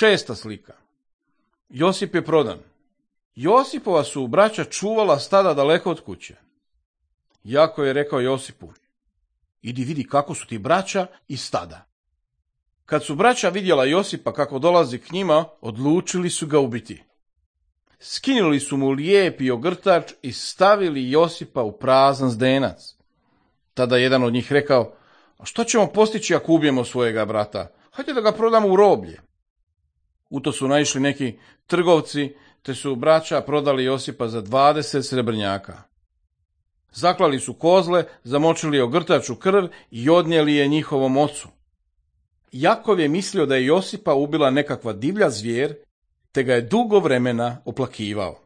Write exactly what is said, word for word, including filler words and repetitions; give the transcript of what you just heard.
Šesta slika. Josip je prodan. Josipova su braća čuvala stada daleko od kuće. Jakov je rekao Josipu: idi vidi kako su ti braća i stada. Kad su braća vidjela Josipa kako dolazi k njima, odlučili su ga ubiti. Skinuli su mu lijepi ogrtač i stavili Josipa u prazan zdenac. Tada jedan od njih rekao: a što ćemo postići ako ubijemo svojega brata? Hajde da ga prodamo u roblje. U to su naišli neki trgovci, te su braća prodali Josipa za dvadeset srebrnjaka. Zaklali su kozle, zamočili ogrtač u krv i odnijeli je njihovom ocu. Jakov je mislio da je Josipa ubila nekakva divlja zvijer, te ga je dugo vremena oplakivao.